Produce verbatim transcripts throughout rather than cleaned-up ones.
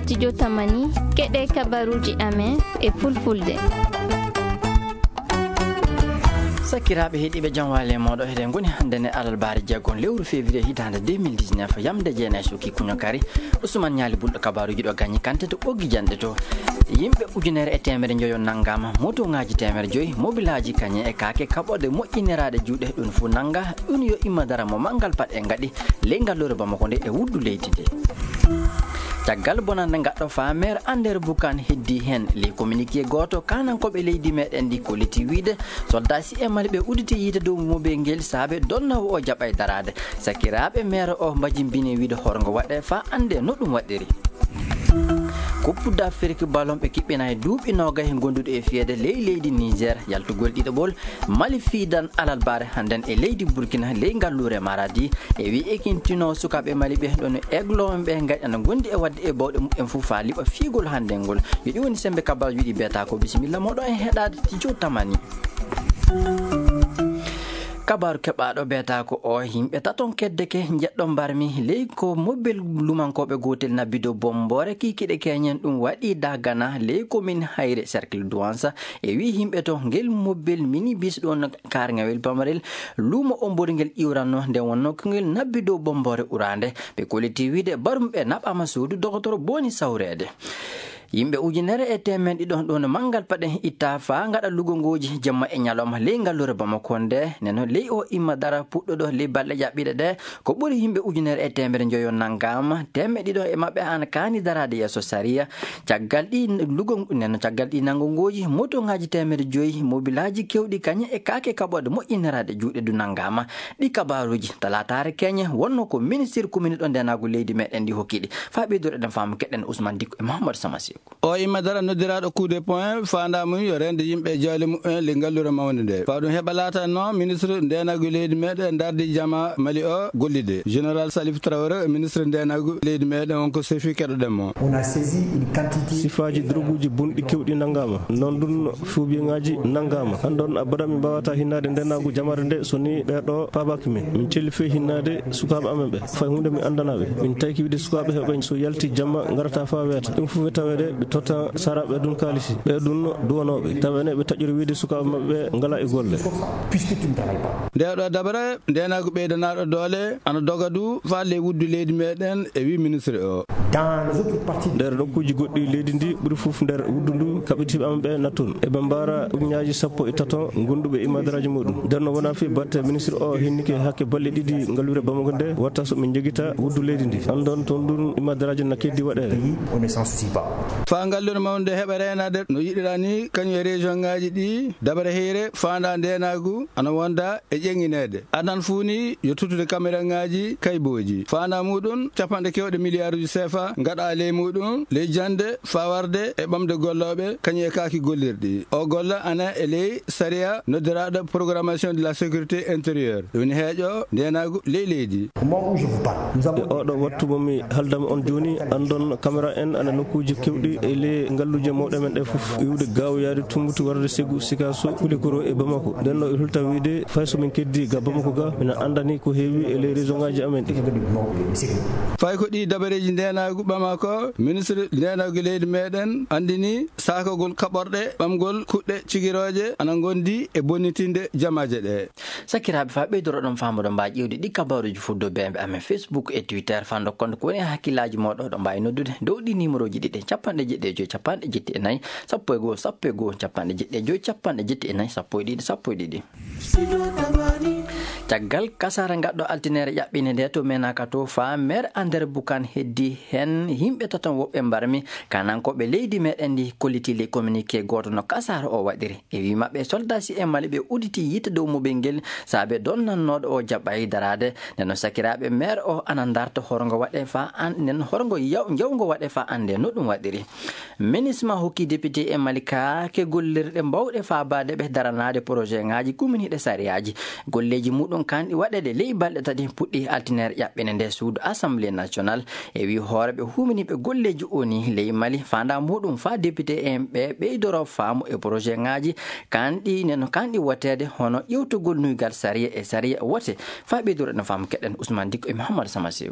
Studio Tamani, keɗe kabaruuji amen e fulfulde. Sakiraaɓe heɗiiɓe, jam waale mooɗo. Eɗen ngoni hannde ne alarbaare jeego lewru février hitaande deux mille dix-neuf, yamde jeenayi suki kuño kari. Ousmane Ñaali Bulɗo, kabaruuji ɗo gañi kante to ɓoggi janɗe to. Yimɓe ujunere e teemere njoyo nanngaama, motoŋaaji teemere joyi, mobilaaji kañe e kaake kaɓorɗe moƴƴineraaɗe juuɗe, ɗum fof nannga. Ɗum yo imma dara mo manngal paɗe ngaɗi ley ngalluure Bamako nde e wuddu leydi nde. Caggal bonannde ngaɗɗo faa maire Ander Bukan heddi heen, ley communiqué gooto, kaanankooɓe leydi meɗen ndi kolliti wiide soldat si e Mali ɓe udditi yiite dow mobel ngel saabe donnoowo o jaɓay daraade. Sakiraaɓe maire o mbajimbini wiide horgo waɗe faa annde no ɗum waɗiri. Coupe d'Afrique ballon ɓe kiɓɓinay duuɓi noogay gonduɗo e fiyeede ley leydi Niger, yaltugol ɗiɗaɓol Mali fiidan alarbaare hannden e leydi Burkina ley ngalluure Maradi. E wi ekintino sukaaɓe Mali ɓe ɗon Aiglon ɓe ngaɗi ana gondi e waɗde e bawɗe mumen fof faa liɓa fiigol hannden ngol. Yo ɗi woni sembe kabaruuji ɗi beeta ko. Bisimilla mooɗo en heɗaade Studio Tamani. Kabaaru keɓaaɗo beeta ko o, yimɓe taton kedde ke njeɗɗo mbarmi ley ko mobel lumankooɓe gootel nabbi dow bomboore kiikiɗe keñen ɗum waɗi dagana ley commune Hayre cercle Douansa. E wi yimɓe to ngel mobel minibus ɗon karŋawel pamarel luumo omborgel iwranno nde wonno ko ngel nabbi dow bomboore uraande. Ɓe kolliti wiide barumɓe naɓama suudu dogotoro boni sawreede. Yimɓe ujunere e teemen ɗiɗo ɗon manngal paɗe itta faa ngaɗa lugongooji jemma e ñalawma ley ngalluure Bamako nde. Neno ley o imma dara puɗɗoɗo ley balɗe jaɓɓiɗe ɗe, ko ɓuri yimɓe ujunere e teemere njoyo nanngaama, teemeɗe ɗiɗo e maɓɓe ana kaani daraade yeeso sariya. Caggal ɗi lugo-, neno caggal ɗi nanngongooji, motoŋaaji teemere joyi, mobilaaji keewɗi kañe e kaake kaɓorɗe moƴƴiniraaɗe juuɗe du nanngaama. Ɗi kabaaruuji talaataare keñe wonno ko ministir commune ɗo ndeenaagu leydi meɗen ndi hokki ɗi. Faa ɓeydude ɗen faamu keɗen Ousmane Dikko e Mahamadou Sama Seeku. O imma dara noddiraaɗo coup de poing, faandaa mum yo reende yimɓe e jawle mumen ley ngalluure mawnde nde. Faa ɗum heɓa laatanno ministre ndeenaagu leydi meɗen dardi jama Mali o gollide. Général Salif Traoré, ministre ndeenaagu leydi meɗen, on ko sefi keɗoɗen mo. On a saisi une quantité sifaaji droguuji bonɗi keewɗi nanngaama. Noon ɗum fuubiŋaaji nanngaama. Hannden a baɗa mi mbaawata hinnaade ndeenaagu jamaare nde so ni ɓeeɗo paabaaki min. Min celli fee hinnaade sukaaɓe amen ɓe. Fay huunde mi anndanaa ɓe. Min tayki wiide sukaaɓe heɓe so yalti jamma ngarata faa weeta. Ɗum fof taweede ɓe totta saraaɓe ɗum kaalisi. Ɓe ɗum duwanooɓe. Taweene ɓe taƴori wiide sukaaɓe maɓɓe ɓe ngalaa e golle. Nde ɗo dabare ndeenaagu ɓeydanaaɗo doole ana doga du faa ley wuddu leydi meɗen e wi ministre o. Dans les autres parties de nder nokkuuji goɗɗi leydi ndi ɓuri fof nder wuddu ndu kaɓitiiɓe amen ɓe natton e bambara ujunnaaji sappo e tato gonduɓe e madaraaji muɗum. Nder no wona fii batte ministre o hennike hakke balɗe ɗiɗi ngalluure Bamako nde watta so min njogita wuddu leydi ndi. Hannden toon ɗum e madaraaji na keddi waɗeede. Pays, on ne s'en soucie pas. Faa ngalluure mawnde heɓa reenaade no yiɗiraa ni, kañum e région ŋaaji ɗi, dabare heyre faandaa ndeenaagu ana wonda e ƴeŋineede. Adan fuu ni yo tuttude kameraŋaaji kaybooji. Faandaa muɗum, capanɗe keewɗe miliyaaruuji seefa ngaɗaa ley muɗum, ley jannde, faa warde e ɓamde gollooɓe, kañum e kaaki gollirɗi. O golla ana e ley sariya noddiraaɗo programmation de la sécurité intérieure. Ɗum ne heeƴo ndeenaagu ley leydi. Au moment où je vous parle, nous avons e oɗo wattu mo mi haalda e mon jooni, anndon kamera en ana nokkuuji keewɗi e ley ngalluuje mawɗe men ɗe fof, iwde Gaawo yaade Tummbutu warde Segu, Sikaso, Kulikoro e Bamako. Nden no e hulta wiide, fay so min keddi ga Bamako ga, mina anndani ko heewi e ley région ŋaaji amen ɗi. Fay ko ɗi dabareeji ndeenaagu Bamako, ministre ndeenaagu leydi meɗen anndini saakagol kaɓorɗe ɓamgol kuɗɗe cigirooje ana ngondi e bonnitinde jamaaje ɗe. Sakiraaɓe, faa ɓeydoro ɗon faamude mbaa ƴeewde ɗi kabaaruuji fof dow bembe amen Facebook e Twitter, faa ndokkon ko woni e hakkillaaji mooɗon, ɗo mbaawi noddude dow ɗi numéroji ɗiɗi, capanɗe jeeɗiɗi e joy, capanɗe jeeɗiɗi e nayi, sappo e goo, sappo e goo, capanɗe jeeɗiɗi e joy, capanɗe jeeɗiɗi e nayi, sappo e ɗiɗi, sappo e ɗiɗi. Caggal kasaara ngaɗɗo altineere ƴaɓɓinde nde to Menaka to, faa maire Ander Bukan heddi heen yimɓe taton woɓɓe mbarmi, kaanankooɓe leydi meɗen ndi kolliti ley communiqué gooto no kasaara o waɗiri. E wii maɓɓe, soldat si e Mali ɓe udditi yiite dow mobel ngel saabe donnannooɗo o jaɓɓay daraade. Nden no sakiraaɓe maire o ana ndarta horgo waɗe faa an-, nden horgo yaw-, njawgo waɗe faa annde no ɗum waɗiri. Minisma hokki député e Mali kaake gollirɗe mbawɗe faabaade ɓe daranaade projet ŋaaji kuminiiɗe sariyaaji. Golleeji muɗum kanɗi waɗeede ley balɗe tati puɗɗi altineere ƴaɓɓinde nde suudu Assemblée nationale. E wii hooreeɓe huuminiiɓe golleeji O N U ley Mali, faandaa muɗum faa député en ɓe ɓeydoro faamu e projet ŋaaji kanɗi, nen kanɗi woteede hono ƴewtugol nuygal sariya e sariya wote. Faa ɓeydoro no faamu keɗen Ousmane Dikko e Mouhamadou Sama Sew.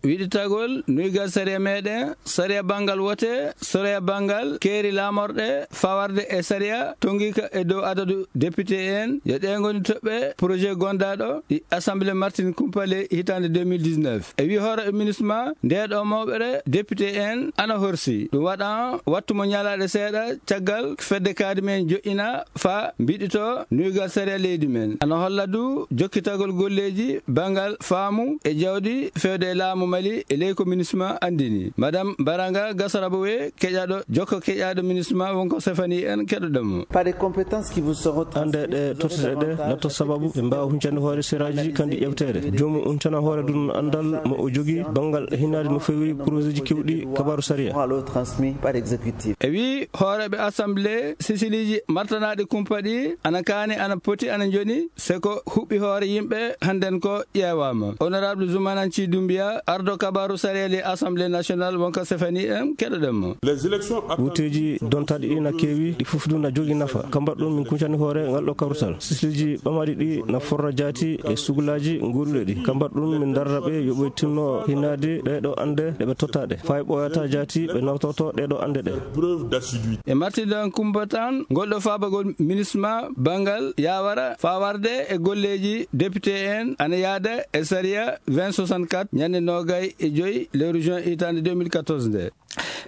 Wiɗitagol nuygal sariya meɗen, sariya bangal wote, sariya bangal keeri lamorɗe, fawarde e sariya tongiika e dow adadu député en, yo ɗe ngoni toɓɓe projet gondaɗo ɗi Assemblée Martin Kumpale hitande deux mille dix-neuf. E wi hoore ministre ma, nde ɗo mawɓere député en ana horsi. Ɗum waɗa wattu mo ñalaɗe seeɗa caggal fedde kaadi men joƴƴina fa mbiɗito nuygal sariya leydi men. Ana holla du jokkitagol golleeji bangal faamu e jawdi fewde e laamu Mali e ley ko ministre ma andini. Madame Baranga Gasarabo we keƴaɗo jokko keƴaɗo ministre ma wonko sefani en keɗoɗen mo. Par les compétences qui vous seront Ande ɗe tottete ɗe latta sababu ɓe mbaawa huncande hoore seraaji kandi ƴewteede. Joomu huncana hoore dun andal mo o jogi bangal hinaade no fewi projet ji kewɗi kabaru sariya. Transmis par exécutif. E wi hooreɓe assemblée, sisiliiji martanaɗi kumpa ɗi ana kaani, ana poti, ana njoni, se ko huɓɓi hoore yimɓe hannden ko ƴeewaama. Honorable Zumananci Dumbiya, ardo kabaru sariyali assemblée nationale wonko sefani en keɗoɗen mo. Les élections Wuteeji dontaɗi ɗi na keewi, ɗi fof du na jogi nafa. Ka mbaɗɗun min kuncani hoore ngal ɗo kawrutal. Sisiliiji ɓamaɗi ɗi na forra jaati e sugulaaji goɗuɗe ɗi. Ka mbaɗɗun min darra ɓe yo ɓe tinno hinaade ɗe ɗo ande ɗe ɓe tottaɗe. Fay ɓooyata jaati ɓe nawtoto ɗe ɗo ande ɗe. Preuve d'assiduité. E martidan kumpa tan, ngol ɗo faabagol ministre ma bangal yawara fawarde e golleeji député en ana yaada e sariya vingt soixante-quatre ñande nogay e joy lewru juin hitande deux mille quatorze nde.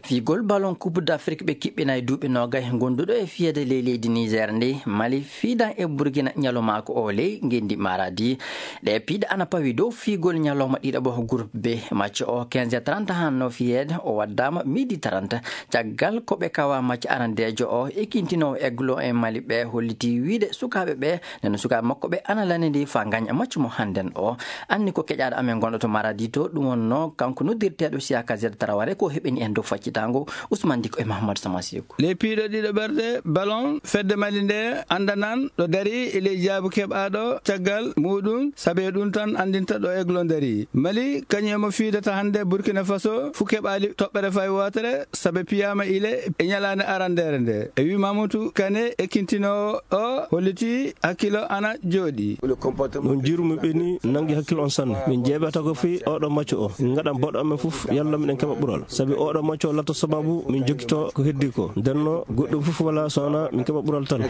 Fiigol ballon Coupe d'Afrique ɓe kiɓɓina e duuɓi nogay gonduɗo e fiyede ley leydi Niger ndi, Mali fiidan e Burkina ñalawmaako o ley ngenndi Maradi. Ɗe piiɗe ana pawi dow fiigol ñalawma ɗiɗaɓo groupe B. Match o quinze heures trente hanno fiyeede, o waddama midi trente. Caggal ko ɓe kawa match arandeejo o, ekintinowo Aigle e Mali ɓe holliti wiide sukaaɓe ɓe, nden sukaaɓe makko ɓe ana lanndi fa ngañ match mo hannden o. Anni ko keƴaaɗo amen gonɗo to Maradi to, ɗum wonno kanko noddirteeɗo Siaka Z Tarawale ko heɓini en dow faccitaango Ousmane Diko e Mahamadou Samasigo. Ley piiɗo ɗiɗo ɓerde ballon fedde Mali nde anndanan ɗo dari e ley jaabu keɓaaɗo caggal muɗum, sabe ɗum tan anndinta ɗo Aigle dari. Mali kañum emo fiidata hannde Burkina Faso, fu keɓaali toɓɓere fay wootere, sabe piyaama ile e ñalaande arandeere nde. E wi Mamadou Kane, ekkintinoowo o, holliti hakkilo ana jooɗi. Ɗum jiiru mi ɓeni nangi hakkil on sanne. Min jeeɓata ko fii oɗo macco o. Min ngaɗan boɗo amen fof, yalla miɗen keɓa ɓural. Sabi oɗo macco o latta sababu min jokkito ko heddi ko. Ndenno goɗɗum fof wala so wona min keɓa ɓural tan.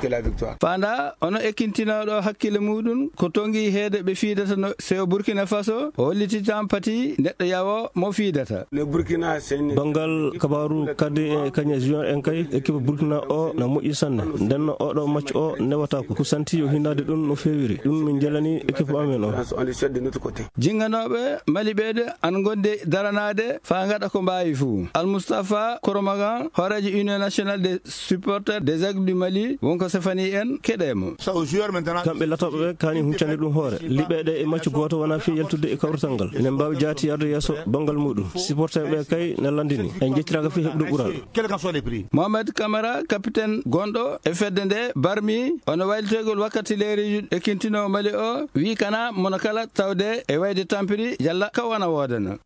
Faanda ono ekkintinooɗo hakkille muɗum ko tongi heede ɓe fiidata no sewo Burkina Faso, o holliti tan pati neɗɗo yawo mo fiidata. Banngal kabaaru kadi e kañe junior en kay, équipe Burkina o na moƴƴi sanne. Ndenno oɗo match o newata ko, ko santi yo hinnaade ɗum no feewiri. Ɗum min njelani équipe amen o. Jinganooɓe Mali ɓeede an gonde daranaade faa ngaɗa ko mbaawi fuu. Al Mustafa Koromagan, hooreejo Union Nationale des Supporters des Aigles du Mali, wonko sefani en keɗe mo. Kamɓe latooɓe ɓe kaani huccande ɗum hoore. Liɓeeɗe e maccu gooto wonaa fii yaltude e kawrital ngal. Ene mbaawi jaati yarde yeeso banngal muɗum. Supporter ɓe kay ne lanndini. En njettiraaka fii heɓde ɓural. Mohamed Kamara, capitaine gonɗo e fedde nde, barmi ono waylitoygol wakkati leereeji ekkintinoo Mali o, wii kana mono kala tawde e wayde tampiri yalla ka wana woodana.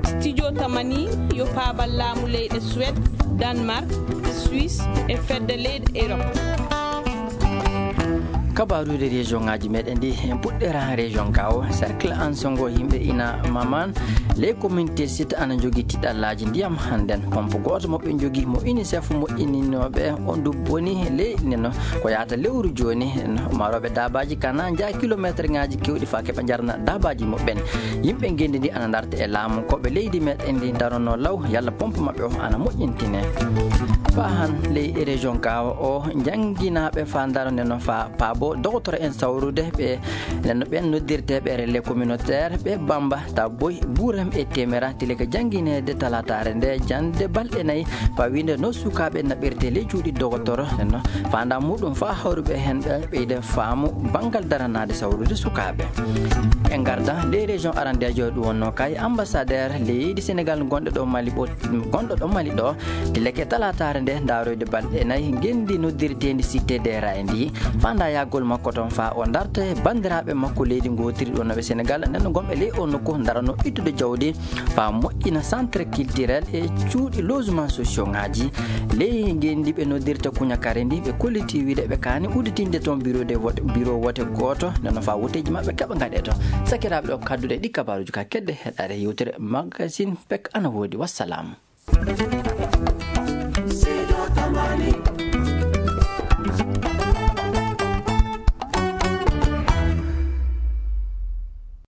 Studio Tamani yo paabal laamu leyɗe Suède, Danemark, Suisse e fedde leyɗe Europe. Kabaruude région ngaji meɗen ɗi, en puɗɗera région Gao, cercle Ansongo, yimɓe ina Maman, les communautés site ana jogii tiɗallaaji ndiyam hannden. Pompe gooto mo ɓe njogii mo UNICEF mo ininooɓe on du boni ley neno ko yahata lewru jooni. Marooɓe daabaaji kana njaa kilometre ngaji kewɗi faa keɓa njarna daabaaji muɓɓen. Yimɓe ngenndi ndi ana ndarta e laamu, ko ɓe leydi meɗen ndi darono law, yalla pompe maɓɓe o ana moƴƴintine. Faa han ley région Gao o, njannginaaɓe faa daroneno faa paabo dogotoro en sawrude ɓe, nenno ɓen noddirteeɓe relais communautaire ɓe Bamba, Taboy, Buurem e Temera, tile ka janngineede talaataare nde jannde balɗe nayi, faa wiinde no sukaaɓe naɓirte ley cuuɗi dogotoro, nenno faandaa muɗum faa hawruɓe heen ɓe ɓeyda faamu banngal daranaade sawrude sukaaɓe. En ngarda ley région arandeejo ɗum wonno kay ambassadeur leydi Sénégal gonɗo ɗo Mali ɓo-, gonɗo ɗo Mali ɗo, tileke talaataare nde ndaaroyde balɗe nayi ngenndi noddirteendi Cité des Rails ndi, faandaa yaggol Makko toon faa o darta e banndiraaɓe makko leydi ngootiri ɗo nawe Senegal, nden no gomɓe ley o nokku darano ittude jawdi faa moƴƴina centre culturel e cuuɗi logement sociaux ŋaaji. Ley ngenndi ɓe noddirta kuñakare ndi, ɓe kolliti wiide ɓe kaani udditinde toon bureau de vote, bureau wote gooto, nden no faa woteeji maɓɓe keɓa ngaɗe toon. Sakiraaɓe, ɗo kadduɗe ɗi kabaaruuji ka kedde heɗaare yewtere Magazine Pek ana woodi. Wassalam.